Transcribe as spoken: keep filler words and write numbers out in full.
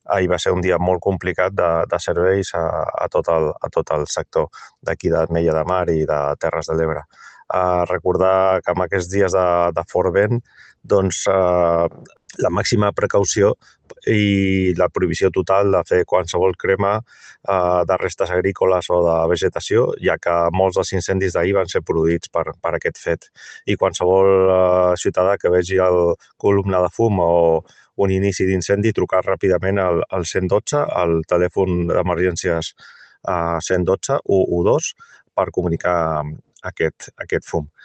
ahir va ser un dia molt complicat de, de serveis a, a, tot el, a tot el sector d'aquí d'Ametlla de Mar i de Terres de l'Ebre. Uh, recordar que en aquests dies de, de fort vent, doncs, uh, la màxima precaució i la prohibició total de fer qualsevol crema uh, de restes agrícoles o de vegetació, ja que molts dels incendis d'ahir van ser produïts per, per aquest fet. I qualsevol uh, ciutadà que vegi el columna de fum o un inici d'incendi, trucar ràpidament al, al cent dotze, al telèfon d'emergències uh, cent dotze u u dos, per comunicar aquest, aquest fum.